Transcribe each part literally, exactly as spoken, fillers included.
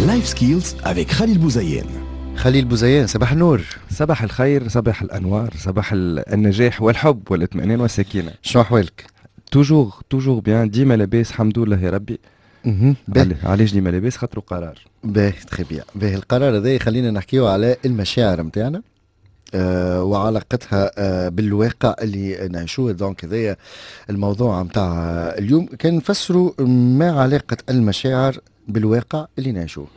Life Skills avec خليل بوزيان. خليل بوزيان، صباح النور. صباح الخير، صباح الانوار، صباح النجاح والحب والاطمئنان والسكينه. شنو احوالك؟ toujours toujours bien، ديما لاباس الحمد لله يا ربي. علاش ديما لاباس؟ خاطر قرار. باهي، très bien. باهي، القرار هذا يخلينا نحكيو على المشاعر نتاعنا آه وعلاقتها آه بالواقع اللي نعيشوه. donc هذايا الموضوع نتاع اليوم، كان نفسروا ما علاقة المشاعر بالواقع اللي نعيشوه.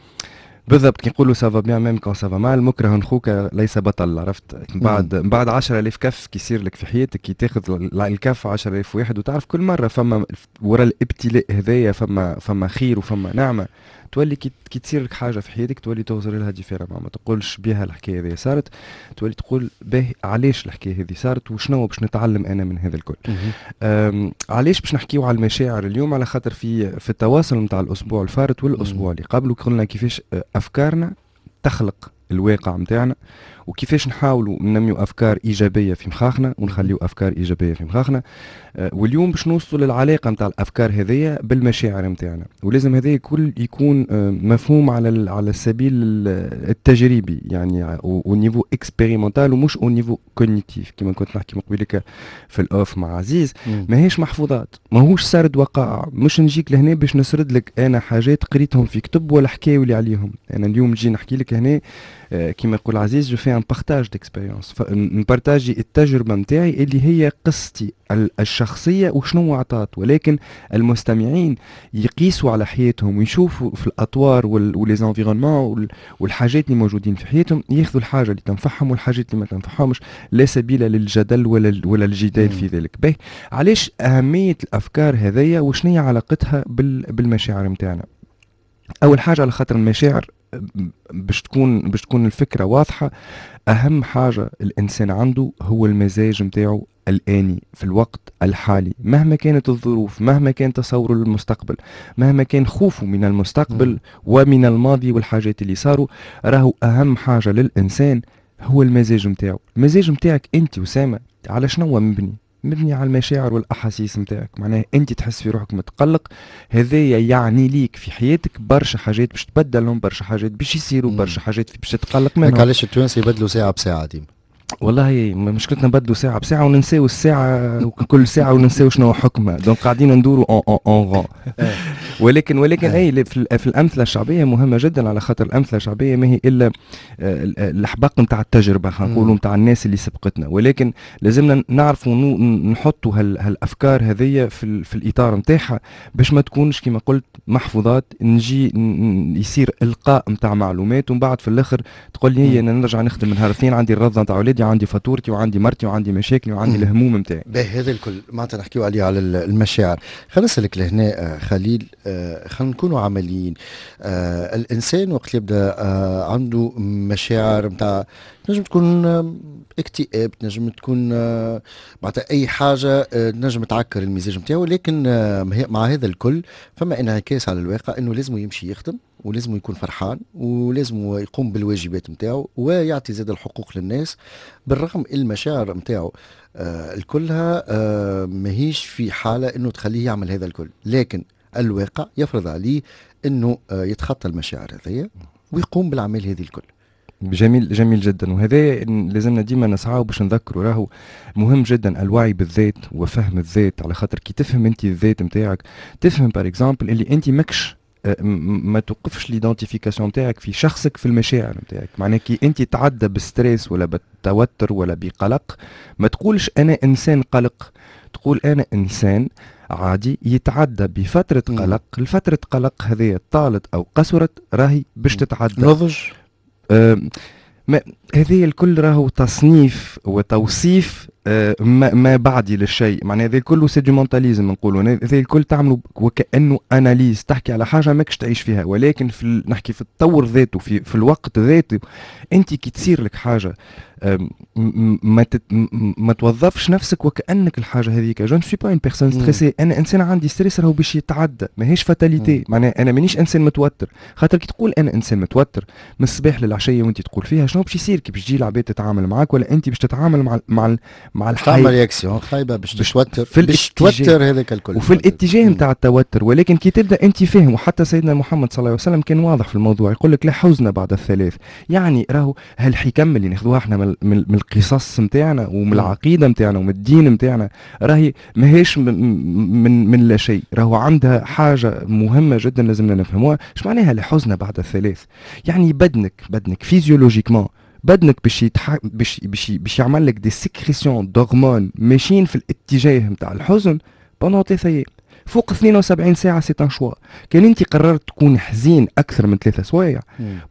بالضبط، كي نقولوا ça va bien même quand ça va mal، مكره خوك ليس بطل، عرفت؟ من بعد من بعد عشرة آلاف كف كي يصير لك في حياتك، كي تاخذ الكف عشرة آلاف واحد وتعرف كل مرة فما ورا الابتلاء هذايا فما فما خير وفما نعمه، تولي كي كي تصير لك حاجة في حياتك تولي تغزر لها différemment. ما تقولش بها الحكاية هذه صارت، تولي تقول باهي، علاش الحكاية هذه صارت وشنو باش نتعلم انا من هذا الكل؟ علاش باش نحكيو على المشاعر اليوم؟ على خاطر في في التواصل نتاع الاسبوع الفارط والاسبوع اللي قبله قلنا كيفاش افكارنا تخلق الواقع نتاعنا، وكيفاش نحاولوا ننميو افكار ايجابية في مخاخنا ونخليو افكار ايجابية في مخاخنا. آه، واليوم باش نوصلوا للعلاقة نتاع الافكار هذيا بالمشاعر نتاعنا، ولازم هذا الكل يكون آه، مفهوم على على السبيل التجريبي، يعني au niveau expérimental ومش au niveau cognitif. كما كنت نحكي من قبيلك في ال off مع عزيز، ماهيش محفوظات، ماهوش سرد وقائع، مش نجيك لهنا باش نسرد لك انا حاجات قريتهم في كتب ولا حكاوي لي عليهم. انا اليوم نجي نحكي لك هنا، آه، كما يقول عزيز، je fais un partage d'expérience، ن partager التجربة نتاعي اللي هي قصتي الشخصية وشنو عطات، ولكن المستمعين يقيسوا على حياتهم ويشوفوا في الاطوار و les environnements والحاجات اللي موجودين في حياتهم، ياخذوا الحاجة اللي تنفعهم والحاجات اللي ما تنفعهمش. لا سبيل للجدل ولا ولا الجدال في ذلك. باهي، علاش اهمية الافكار هذيا وشنو هي علاقتها بالمشاعر نتاعنا؟ اول حاجة على خاطر المشاعر، باش تكون باش تكون الفكرة واضحه، اهم حاجة الانسان عنده هو المزاج نتاعو الآني في الوقت الحالي، مهما كانت الظروف، مهما كان تصوره للمستقبل، مهما كان خوفه من المستقبل ومن الماضي والحاجات اللي صاروا، راهو أهم حاجة للإنسان هو المزاج نتاعو. المزاج نتاعك أنت وسامة على شنو مبني؟ مبني على المشاعر والاحاسيس نتاعك. معناها انت تحس في روحك متقلق، هذايا يعني ليك في حياتك برشا حاجات باش تبدلهم، برشا حاجات باش يصيروا، برشا حاجات باش تتقلق منهم. علاش التوانسة يبدلوا ساعة بساعة ديما؟ والله مشكلتنا نبدلوا ساعة بساعة وننساو الساعة كل ساعة وننساو شنو حكمها، donc قاعدين ندوروا en en rond. ولكن ولكن اي في, في الامثلة الشعبية مهمة جدا، على خاطر الامثلة الشعبية ما هي الا آه، الحبق نتاع التجربه، خلينا نقولوا نتاع الناس اللي سبقتنا، ولكن لازمنا نعرفوا نحطوا هالافكار هذيا في, في الاطار نتاعها باش ما تكونش كما قلت محفوظات، نجي يصير القاء نتاع معلومات ومن بعد في الاخر تقول لي انا نرجع نخدم من نهار الاثنين، عندي الرضا نتاع اولادي، عندي فاتورتي وعندي مرتي وعندي مشاكلي وعندي الهموم نتاعي. باهي، هذا الكل معناتها نحكيو عليه على المشاعر. خلينا نسالك لهنا آه، خليل، آه، خلينا نكونوا عمليين. آه، الانسان وقت يبدا عنده مشاعر نتاع تنجم تكون اكتئاب، تنجم تكون معناتها اي حاجة تنجم تعكر المزاج نتاعو، لكن مع هذا الكل فما انعكاس على الواقع انه لازم يمشي يخدم ولازم يكون فرحان ولازم يقوم بالواجبات نتاعو ويعطي زاد الحقوق للناس، بالرغم المشاعر نتاعو آه الكلها آه ماهيش في حاله انه تخليه يعمل هذا الكل، لكن الواقع يفرض عليه انه آه يتخطى المشاعر هذيا ويقوم بالعمل هذه الكل. جميل، جميل جدا، وهذا لازمنا ديما نسعى باش نذكروا، راهو مهم جدا الوعي بالذات وفهم الذات، على خاطر كي تفهم انت الذات نتاعك تفهم par exemple اللي انت ماكش آه، ما توقفش l'identification نتاعك في شخصك في المشاعر نتاعك. معناها كي انت تعدى ب stress ولا بالتوتر ولا بقلق، ما تقولش انا انسان قلق، تقول انا انسان عادي يتعدى بفترة قلق. الفترة قلق هذه طالت أو قصرت راهي باش تتعدى. نضج. ما هذه الكل راهو تصنيف وتوصيف آه، ما, ما بعدي للشيء. معناها هذا الكل c'est du mentalisme نقولوا، هذا الكل تعملوا وكانه analyse، تحكي على حاجة ماكش تعيش فيها. ولكن في نحكي في التطور ذاته، في في الوقت ذاته، انت كي تصير لك حاجة ما تت ما توظفش نفسك وكانك الحاجة هذيك. je ne suis pas une personne stressée، انا انسان عندي stress راهو باش يتعدى، ماهيش fatalité. معناها انا مانيش انسان متوتر، خاطر كي تقول انا انسان متوتر من الصباح للعشيه وانت تقول فيها، شنو باش يصير كي باش تجي العباد تتعامل معاك ولا انت باش تتعامل مع مع مع الحياة، تعمل réaction خايبة باش تتوتر، باش توتر هذاك الكل وفي الاتجاه نتاع التوتر. ولكن كي تبدا انت فاهم، وحتى سيدنا محمد صلى الله عليه وسلم كان واضح في الموضوع، يقول لك لا حزن بعد الثلاث. يعني راهو هالحكم اللي ناخذوها احنا من, من القصص نتاعنا ومن العقيدة نتاعنا ومن الدين نتاعنا راهي ماهيش من من لا شيء، راهو عندها حاجة مهمة جدا لازمنا نفهموها. اش معناها لا حزن بعد الثلاث؟ يعني بدنك بدنك physiologiquement بدنك باش يتح... باش باش باش يعمل لك des sécrétions d'hormones ماشيين في الاتجاه نتاع الحزن pendant ثلاثة ايام. فوق اثنين وسبعين ساعة c'est un choix. كان انت قررت تكون حزين اكثر من ثلاثة سوايع،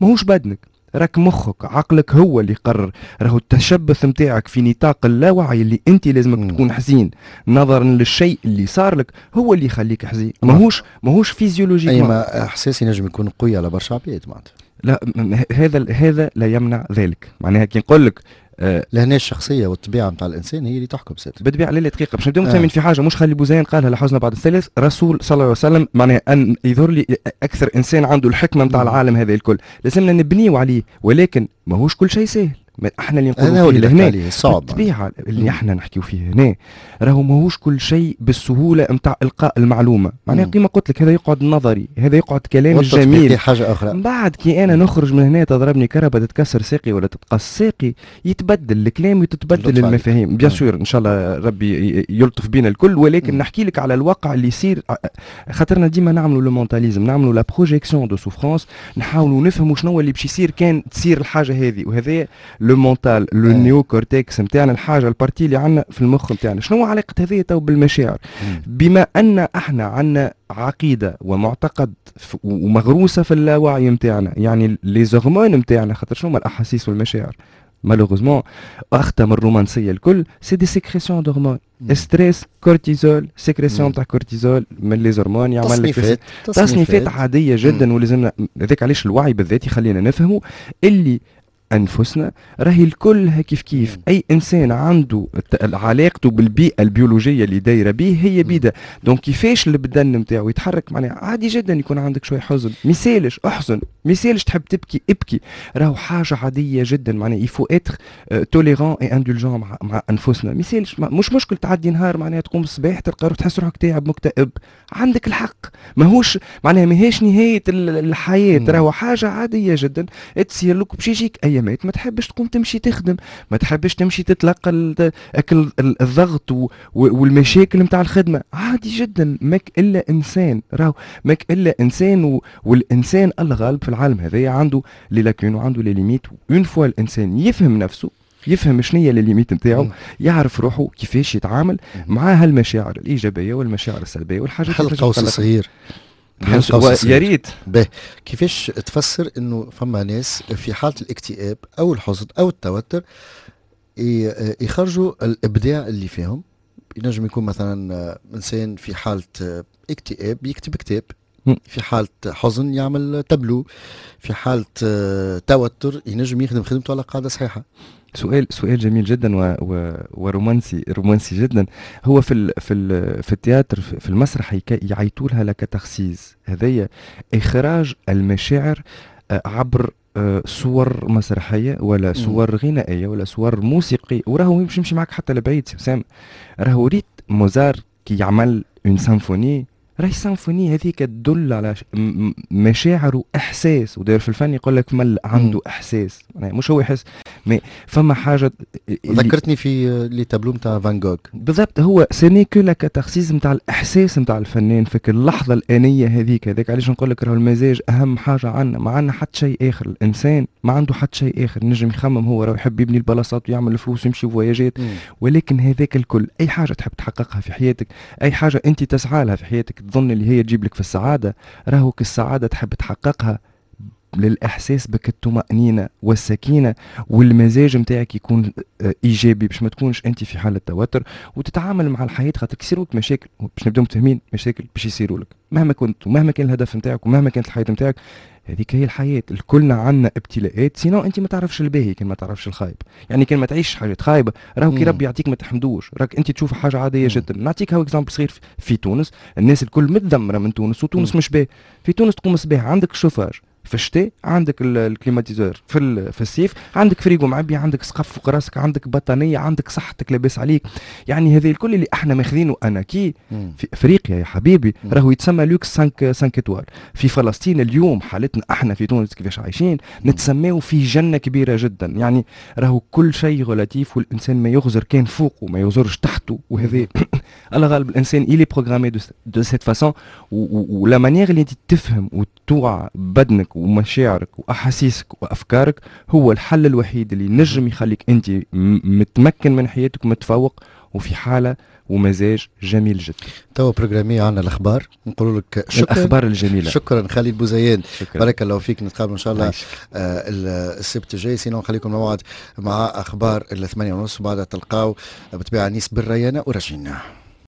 ماهوش بدنك، راك مخك، عقلك هو اللي يقرر. راهو التشبث نتاعك في نطاق اللاوعي اللي انت لازمك مم. تكون حزين نظرا للشيء اللي صار لك هو اللي يخليك حزين، ماهوش ماهوش physiologique. اي ما احساسي نجم يكون قوي على برشا عباد معناتها. لا، هذا هذا لا يمنع ذلك. معناها كي نقول لك آه لهنا الشخصية والطبيعة نتاع الانسان هي اللي تحكم سات. بالطبيعه. لا لا، دقيقه، باش نبداو متفاهمين آه. في حاجه، مش خلي بوزين قالها لحزن بعد الثالث، رسول صلى الله عليه وسلم، معناها ان يظهر لي اكثر انسان عنده الحكمة نتاع العالم هذا الكل، لازمنا نبنيو عليه، ولكن ماهوش كل شيء سهل. احنا اللي نقولوا فيه لهنا صعب بالطبيعه. اللي احنا نحكيو فيه هنا راهو ماهوش كل شيء بالسهولة نتاع القاء المعلومه. معناها كيما قلت لك، هذا يقعد نظري، هذا يقعد كلام جميل. حاجة اخرى. من بعد كي انا نخرج من هنا تضربني كرهبه، تتكسر ساقي ولا تتقص ساقي، يتبدل الكلام وتتبدل المفاهيم. bien sûr، ان شاء الله ربي يلطف بينا الكل، ولكن مم. نحكي لك على الواقع اللي يصير، خاطرنا ديما نعملوا le mentalisme، نعملوا la projection de souffrance، نحاولوا نفهموا شنو اللي باش يصير كان تصير الحاجة هذه. وهذا le mental، le néocortex نتاعنا، الحاجة ال partie اللي عندنا في المخ نتاعنا. شنو علاقة هذه تو بالمشاعر؟ بما ان احنا عندنا عقيدة ومعتقد ومغروسه في اللاوعي نتاعنا، يعني les hormones نتاعنا، خاطر شنو هما الاحاسيس والمشاعر؟ malheureusement اخطا من الرومانسية الكل، c'est des sécrétions d'hormones، stress، cortisol، sécrétion تاع كورتيزول من les hormones يعمل لك تصنيفات. تصنيفات عادية جدا. ولازمنا هذاك علاش الوعي بالذات يخلينا نفهموا اللي انفسنا راهي الكل كيف كيف. اي انسان عنده علاقته بالبيئة البيولوجية اللي دايرة به هي بيدا، donc كيفاش البدن نتاعو يتحرك. معناها عادي جدا يكون عندك شوية حزن، ميسالش احزن، ميسالش تحب تبكي ابكي، راهو حاجة عادية جدا. معناها il faut être tolérant et indulgent مع, مع انفسنا. ميسالش، مش مشكل تعدي نهار، معناها تقوم الصباح تلقى روحك تحس روحك تعب مكتئب، عندك الحق، ماهوش معناها ماهيش نهاية الحياه. راهو حاجة عادية جدا تصير لك، باش يجيك ايامات ما تحبش تقوم تمشي تخدم، ما تحبش تمشي تتلقى اكل الضغط والمشاكل نتاع الخدمه. عادي جدا، ماك الا انسان، راهو ماك الا انسان. والانسان الغالب في العالم هذايا عنده les lacunes وعنده les limites. une fois الانسان يفهم نفسه، يفهم شنو هي les limites نتاعو، يعرف روحه كيفاش يتعامل مع هالمشاعر الايجابية والمشاعر السلبية والحاجات. حل قوس صغير. يا ريت. باهي، كيفاش تفسر انه فما ناس في حاله الاكتئاب او الحزن او التوتر يخرجوا الابداع اللي فيهم؟ ينجم يكون مثلا انسان في حاله اكتئاب يكتب كتاب، في حالة حزن يعمل تابلو، في حالة توتر ينجم يخدم خدمته على قاعدة صحيحة. سؤال سؤال جميل جدا و و ورومانسي، رومانسي جدا. هو في ال في ال في ال théâtre، في المسرح، يعيطوا لها la catharsis، هذيا اخراج المشاعر آه، عبر آه، صور مسرحية ولا صور غنائية ولا صور موسيقية. وراهو باش نمشي معك حتى لبعيد سام، راهو ريت موزار كي يعمل une symphonie، راهي السيمفونية هذيك تدل على مشاعر واحساس. وداير في الفن يقول لك مل عنده احساس، يعني مش هو يحس mais فما حاجه. ذكرتني في les tableaux نتاع فان جوغ. بالضبط، هو ce n'est que la catharsis نتاع الاحساس نتاع الفنان في اللحظة الانية هذيك. هذاك علاش نقول لك راهو المزاج اهم حاجة عندنا، ما عندنا حتى شيء اخر. الانسان ما عنده حتى شيء اخر نجم يخمم، هو راهو يحب يبني البلاصات ويعمل الفلوس ويمشي فواياجات، ولكن هذاك الكل، اي حاجة تحب تحققها في حياتك، اي حاجة انت تسعى لها في حياتك، تظن اللي هي تجيب لك في السعاده، راهو السعادة تحب تحققها للاحساس بك الطمانينة والسكينة والمزاج نتاعك يكون آه، ايجابي، باش ما تكونش انت في حاله توتر وتتعامل مع الحياه. خاطر يصيروا لك مشاكل، باش نبداو متفاهمين، مشاكل باش يصيروا لك مهما كنت ومهما كان الهدف نتاعك ومهما كانت الحياة نتاعك. هذيك هي الحياه، الكلنا عندنا ابتلاءات، sinon انت ما تعرفش الباهي كان ما تعرفش الخايب. يعني كان ما تعيش حاجات خايبه، راهو كي ربي يعطيك ما تحمدوش، راك انت تشوف حاجة عادية جدا. نعطيك هاو exemple صغير، في تونس الناس الكل متذمره من تونس وتونس مش باهي. في تونس تقوم الصباح عندك الشوفاج. في الشتاء عندك ال climatiseur، في في الصيف عندك فريقو معبي، عندك سقف فوق راسك، عندك بطانيه، عندك صحتك لاباس عليك. يعني هذه الكل اللي احنا ماخذينه en acquis في افريقيا يا حبيبي راهو يتسمى لوكس خمسة خمسة étoiles. في فلسطين اليوم حالتنا احنا في تونس كيفاش عايشين نتسماو في جنة كبيرة جدا. يعني راهو كل شيء relatif، والانسان ما يغزر كان فوقه وما يغزرش تحته، وهذا الله غالب، الانسان il est programmé de cette façon. و la manière اللي انت تفهم وتوعى بدنك ومشاعرك واحاسيسك وافكارك هو الحل الوحيد اللي نجم يخليك انت متمكن من حياتك ومتفوق وفي حاله ومزاج جميل جدا. توا programmé عندنا الاخبار، نقول لك شكرا. الاخبار الجميله. شكرا خليل بوزيان. شكرا. بارك الله فيك، نتقابل ان شاء الله آه السبت الجاي. sinon نخليكم موعد مع اخبار الثمانية ونص، وبعدها تلقاو بطبيعة نيس بالريانه ورجينا.